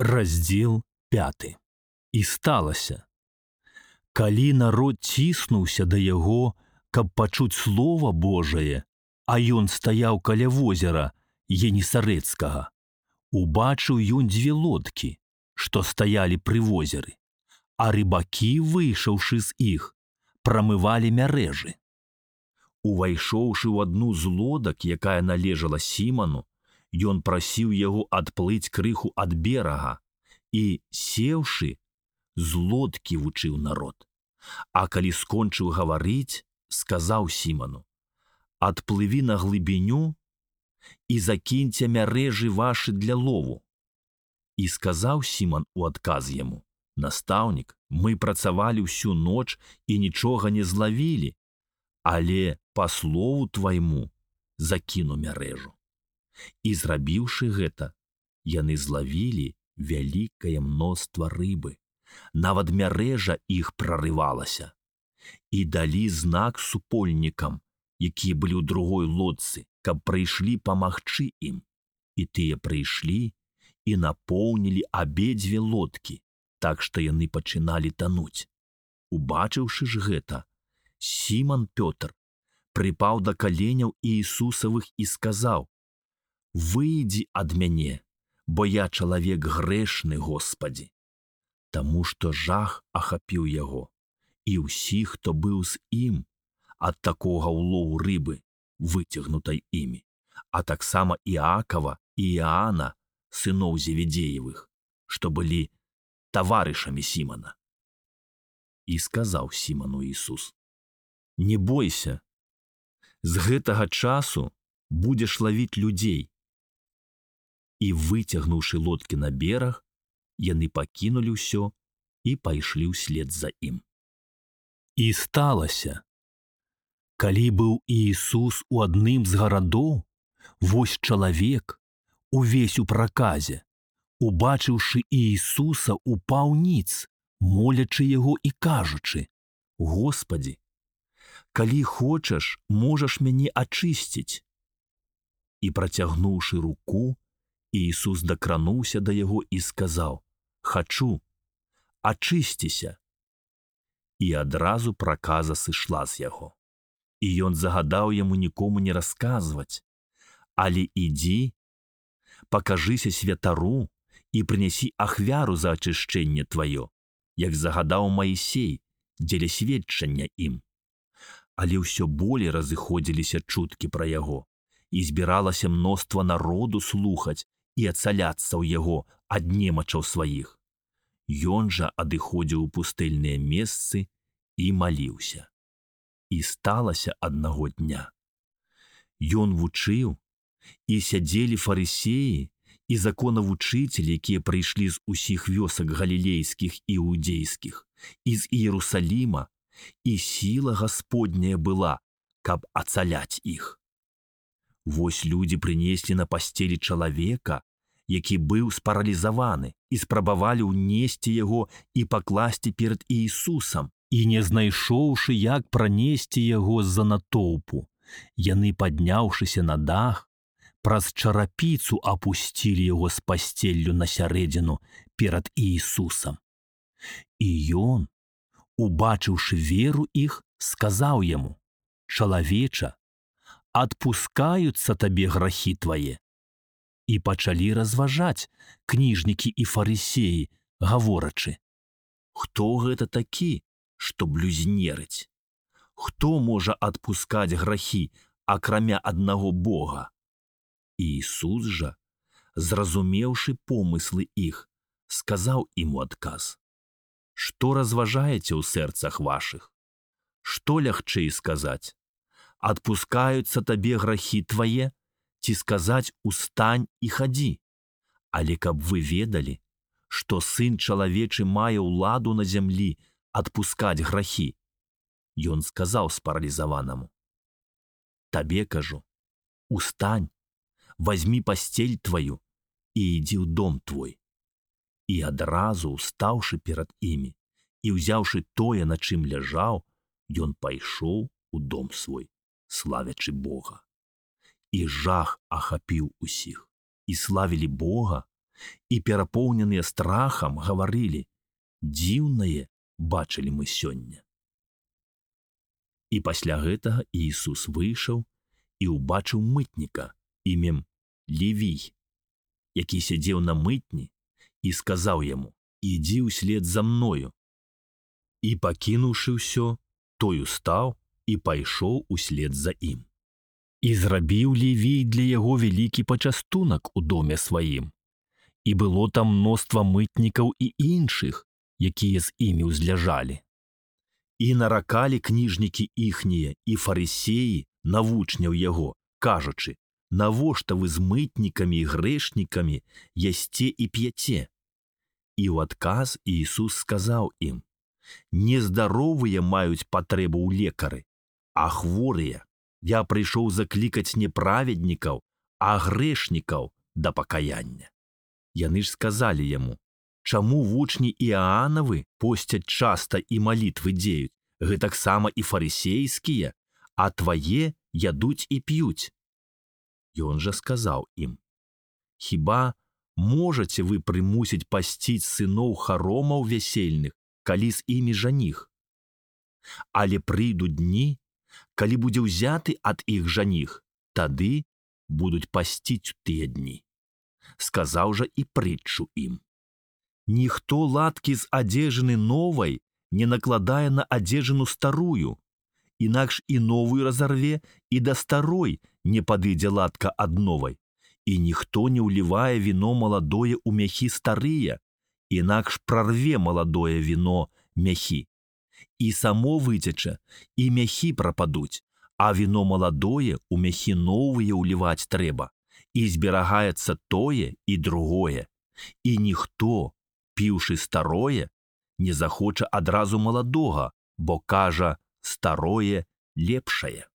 Раздзел 5. І сталася, калі народ ціснуўся да яго, каб пачуць слова Божае, а ён стаяў каля возера Генесарэцкага, убачыў ён дзве лодкі, што стаялі пры возеры, а рыбакі, выйшаўшы з іх, прамывалі мярэжы. Увайшоўшы ў адну з лодак, якая належала Сіману, ён прасіў яго адплыць крыху ад берага і, сеўшы, з лодкі вучыў народ. А калі скончыў гаварыць, сказаў Сіману: «Адплыві на глыбіню і закіньце мярэжы вашы для лову». І сказаў Сіман у адказ яму: «Настаўнік, мы працавалі ўсю ноч і нічога не злавілі, але па слову твайму закіну мярэжу». І зрабіўшы гэта, яны злавілі вялікае мноства рыбы, нават мярэжа іх прарывалася. І далі знак супольнікам, якія былі ў другой лодцы, каб прыйшлі памагчы ім. І тыя прыйшлі і напоўнілі абедзве лодкі, так што яны пачыналі тануць. Убачыўшы ж гэта, Сіман Пётр прыпаў да каленяў Іісусавых і сказаў: «Выйдзі ад мяне, бо я чалавек грэшны, Господі». Таму што жах ахапіў яго і ўсіх, хто быў з ім, ад такога ўлову рыбы, выцягнутай імі, а таксама Іакава і Іаана, сыноў Зеведзеевых, што былі таварышамі Сімана. І сказаў Сіману Ісус: «Не бойся, з гэтага часу будзеш лавіць людзей». І, выцягнуўшы лодкі на бераг, яны пакінулі ўсё і пайшлі ўслед за ім. І сталася, калі быў Іісус у адным з гарадоў, вось чалавек, увесь у праказе, убачыўшы Іісуса, упаў ніц, молячы яго і кажучы: «Господі, калі хочаш, можаш мяне ачысціць». І, працягнуўшы руку, Іісус дакрануўся да яго і сказаў: «Хачу, ачысціся». І адразу праказа сышла з яго. І ён загадаў яму нікому не расказваць: «Але ідзі, пакажыся святару і прынясі ахвяру за ачышчэнне тваё, як загадаў Маісей дзеля сведчання ім». Але ўсё болей разыходзіліся чуткі пра яго, і збіралася мноства народу слухаць і ацаляцца ў яго ад немачаў сваіх. Ён жа адыходзіў у пустэльныя месцы і маліўся. І сталася аднаго дня. Ён вучыў, і сядзелі фарысеі і законавучыцелі, якія прыйшлі з усіх вёсак галілейскіх і іудзейскіх, і з Іерусаліма, і сіла Гасподняя была, каб ацаляць іх. Вось людзі прынеслі на пасцелі чалавека, які быў спаралізаваны, і спрабавалі ўнесці яго і пакласці перад Іісусам, і, не знайшоўшы, як пранесці яго з-за натоўпу, яны, падняўшыся на дах, праз чарапіцу апусцілі яго з пасцеллю на сярэдзіну перад Іісусам. І ён, убачыўшы веру іх, сказаў яму: «Чалавеча, адпускаюцца табе грахі твае». І пачалі разважаць кніжнікі і фарысеі, гаворачы: «Хто гэта такі, што блюзнерыць? Хто можа адпускаць грахі, акрамя аднаго Бога?» Іісус жа, зразумеўшы помыслы іх, сказаў ім у адказ: «Што разважаеце ў сэрцах вашых? Што лягчэй сказаць: адпускаюцца табе грахі твае, ці сказаць: устань і хадзі? Але каб вы ведалі, што Сын чалавечы мае ўладу на зямлі адпускаць грахі». Ён сказаў спаралізаванаму: «Табе кажу, устань, вазьмі пасцель тваю і ідзі ў дом твой». І адразу, устаўшы перад імі і ўзяўшы тое, на чым ляжаў, ён пайшоў у дом свой, славячы Бога. І жах ахапіў усіх, і славілі Бога і, перапоўненыя страхам, гаварылі: «Дзіўнае бачылі мы сёння». І пасля гэтага Ісус выйшаў і ўбачыў мытніка імем Левій, які сядзеў на мытні, і сказаў яму: «Ідзі ўслед за мною». І, пакінуўшы ўсё, той устаў і пайшоў услед за ім. І зрабіў Левій для яго вялікі пачастунак у доме сваім. І было там мноства мытнікаў і іншых, якія з імі ўзляжалі. І наракалі кніжнікі іхнія і фарысеі на вучняў яго, кажучы: «Навошта вы з мытнікамі і грэшнікамі ясце і п'яце?» І ў адказ Ісус сказаў ім: «Нездаровыя маюць патрэбу ў лекары, а хворыя. Я прыйшоў заклікаць не праведнікаў, а грэшнікаў да пакаяння». Яны ж сказалі яму: «Чаму вучні Іаанавы посцяць часта і малітвы дзеюць, гэтаксама і фарысейскія, а твае ядуць і п'юць?» Ён жа сказаў ім: «Хіба можаце вы прымусіць пасціць сыноў харомаў вясельных, калі з імі жаніх? Але прыйдуць дні, калі будзе ўзяты ад іх жаніх, тады будуць пасціць у тыя дні». Сказаў жа і прытчу ім: «Ніхто латкі з адзежыны новай не накладае на адзежыну старую, інакш і новую разарве, і да старой не падыдзе латка ад новай. І ніхто не ўлівае віно маладое ў мяхі старыя, інакш прарве маладое віно мяхі. І само выцяча, і мяхі прападуць, а віно маладое ў мяхі новыя ўліваць трэба, і зберагаецца тое і другое. І ніхто, піўшы старое, не захоча адразу маладога, бо кажа: старое лепшае».